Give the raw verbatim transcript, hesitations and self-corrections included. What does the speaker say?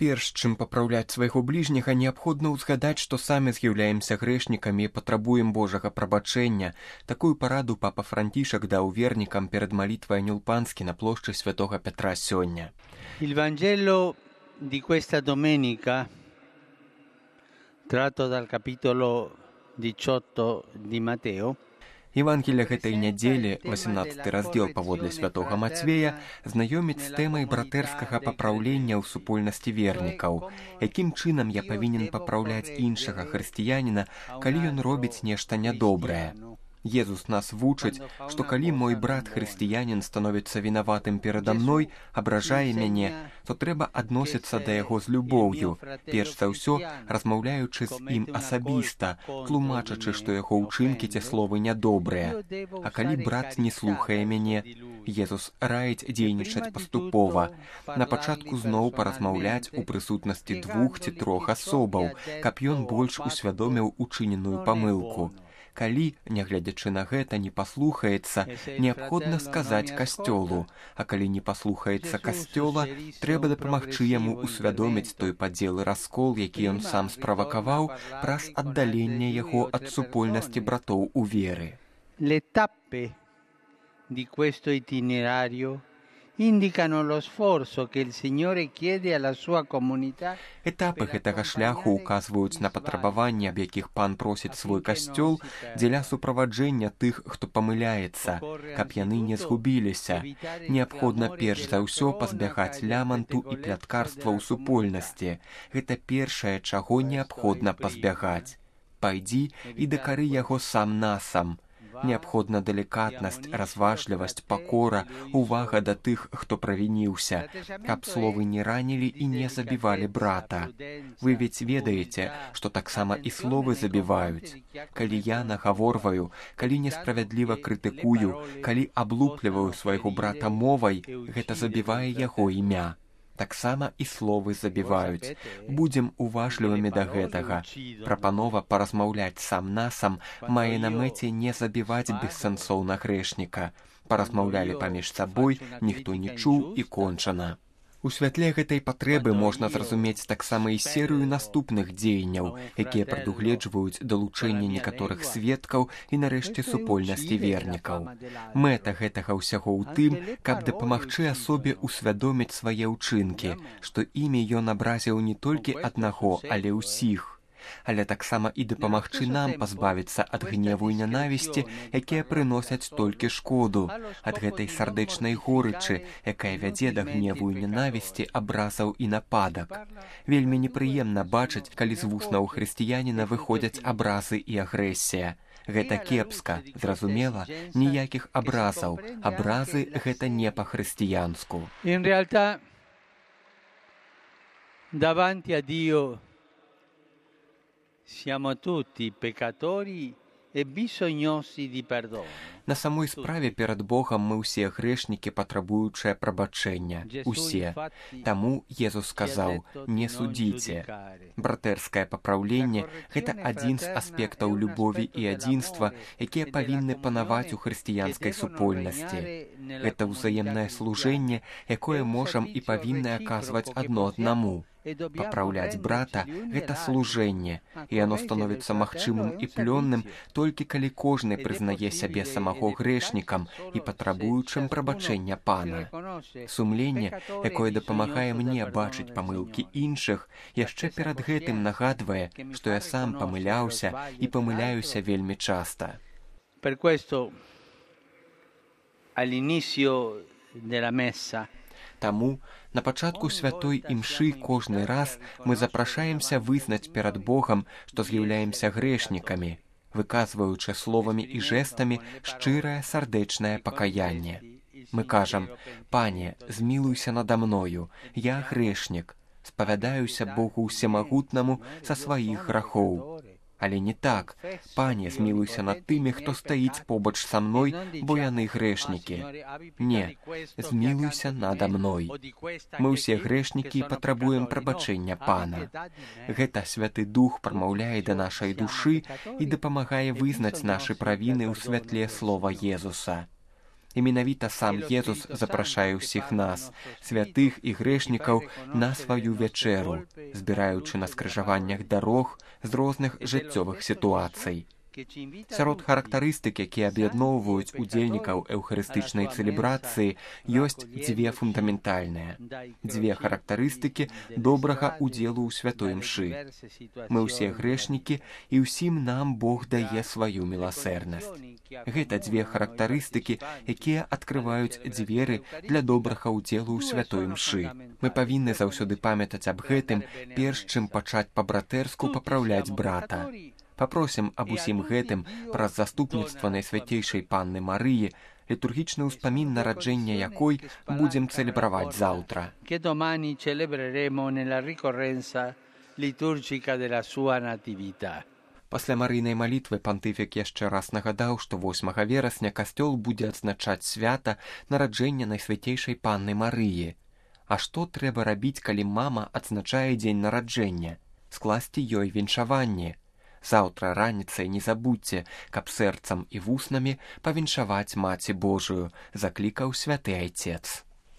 Перш чым папраўляць свайго бліжняга, неабходна ўзгадаць, што самі з'яўляемся грэшнікамі і патрабуем Божага прабачэння. Такую параду папа Францішак даў вернікам перад малітвай Анёл Панскі на плошчы святога Петра сёння. Il Vangelo di questa domenica, tratto dal capitolo diciotto di Matteo, Евангелие гэтай нядзелі, васемнаццаты раздзел паводле святога Мацвея, знаёміць з тэмай братэрскага папраўлення ў супольнасці вернікаў. Якім чынам я павінен папраўляць іншага хрысціяніна, калі ён робіць нешта нядобрае? Езус нас вучыць, што калі мой брат-хрысціянін становіцца вінаватым перада мной, абражае мяне, то трэба адносіцца да яго з любоўю, перш за ўсё размаўляючы з ім асабіста, тлумачачы, што яго ўчынкі ці словы нядобрыя. А калі брат не слухае мяне, Езус раіць дзейнічаць паступова. На пачатку зноў паразмаўляць у прысутнасці двух ці трох асобаў, каб ён больш усвядоміў учыненую памылку. Калі, нягледзячы на гэта, не паслухаецца, неабходна сказаць касцёлу, а калі не паслухаецца касцёла, трэба дапамагчы яму усвядоміць той падзел і раскол, які ён сам справакаваў праз аддаленне яго ад супольнасці братоў у веры. Le tappe di questo itinerario indicano lo sforzo che il Signore chiede alla sua comunità. Этапы гэтага шляху указваюць на патрабаванні, аб якіх пан просіць свой касцёл дзеля суправаджэння тых, хто памыляецца, каб яны не згубіліся. Неабходна перш за ўсё пазбягаць ляманту і пляткарства ў супольнасці. Гэта першае, чаго неабходна пазбягаць. Пайдзі і дакары яго сам насам. Неабходна далікатнасць, разважлівасць, пакора, увага да тых, хто правініўся, каб словы не ранілі і не забівалі брата. Вы ведь ведаеце, што таксама і словы забіваюць. Калі я нагаворваю, калі несправядліва крытыкую, калі аблупліваю свайго брата мовай, гэта забівае яго імя. Таксама і словы забіваюць. Будзем уважлівымі да гэтага. Прапанова паразмаўляць сам-насам мае на мэце не забіваць бессэнсоўна грэшніка. Паразмаўлялі паміж сабой, ніхто не чуў і кончана. У святле гэтай патрэбы можна зразумець таксама і серыю наступных дзеянняў, якія прадугледжваюць далучэнне некаторых сведкаў і нарэшце супольнасці вернікаў. Мэта гэтага ўсяго ў тым, каб дапамагчы асобе ўсвядоміць свае ўчынкі, што імі ён абразіў не толькі аднаго, але ўсіх. Але таксама і дапамагчы нам пазбавіцца ад гневу і нянавісці, якія прыносяць толькі шкоду, ад гэтай сардэчнай горычы, якая вядзе да гневу і нянавісці, абразаў і нападак. Вельмі непрыемна бачыць, калі з вуснаў хрысціяніна выходзяць абразы і агрэсія. Гэта кепска, зразумела, ніякіх абразаў. Абразы гэта не па-хрысціянску. In realtà, davanti a Dio siamo tutti peccatori e bisognosi di perdono. На самой справе перад Богам мы ўсе грэшнікі, патрабуючыя прабачэння. Усе. Таму Езус сказаў: «Не судзіце». Братэрскае папраўленне – гэта адзін з аспектаў любові і адзінства, якія павінны панаваць у хрысціянскай супольнасці. Гэта ўзаемнае служэнне, якое можам і павінны аказваць адно аднаму. Папраўляць брата – гэта служэнне, і яно становіцца магчымым і плённым толькі калі кожны прызнае сябе самого грэшнікам і патрабуючым прабачэння пана. Сумленне, якое дапамагае мне бачыць памылкі іншых, яшчэ перад гэтым нагадвае, што я сам памыляўся і памыляюся вельмі часта. Per questo, all'inizio della messa, Таму на пачатку святой імшы кожны раз мы запрашаемся вызнаць перад Богам, што з'яўляемся грэшнікамі, выказваючы словамі і жэстамі шчырае сардэчнае пакаянне. Мы кажам: «Пане, змілуйся нада мною, я грэшнік, спавядаюся Богу ўсемагутнаму са сваіх грахоў». Але не так. «Пане, змілуйся над тымі, хто стаіць побач са мной, бо яны грэшнікі». Не, змілуйся нада мной. Мы ўсе грэшнікі і патрабуем прабачэння пана. Гэта Святы Дух прамаўляе да нашай душы і дапамагае вызнаць нашы правіны ў святле слова Езуса. І менавіта сам Езус запрашае ўсіх нас, святых і грэшнікаў, на сваю вячэру, збіраючы на скрыжаваннях дарог з розных жыццёвых сітуацый. Сярод характарыстык, якія аб'ядноўваюць удзельнікаў эўхарыстычнай цэлебрацыі, ёсць дзве фундаментальныя. Дзве характарыстыкі добрага ўдзелу ў святой імшы. Мы ўсе грэшнікі, і ўсім нам Бог дае сваю міласэрнасць. Гэта дзве характарыстыкі, якія адкрываюць дзверы для добрага ўдзелу ў святой імшы. Мы павінны заўсёды памятаць аб гэтым, перш чым пачаць па-братэрску папраўляць брата. Папросім аб усім гэтым праз заступніцтва Найсвяцейшай Панны Марыі, літургічны ўспамін нараджэння якой будзем цэлебраваць заўтра. Que domani celebreremo nella ricorrenza liturgica della sua natività. Пасля марыйнай малітвы пантыфік яшчэ раз нагадаў, што восьмага верасня касцёл будзе адзначаць свята нараджэння Найсвяцейшай Панны Марыі. А што трэба рабіць, калі мама адзначае дзень нараджэння? Скласці ёй віншаванне. Заўтра раніцай не забудзьце, каб сэрцам і вуснамі павіншаваць Маці Божую, заклікаў святы айцец.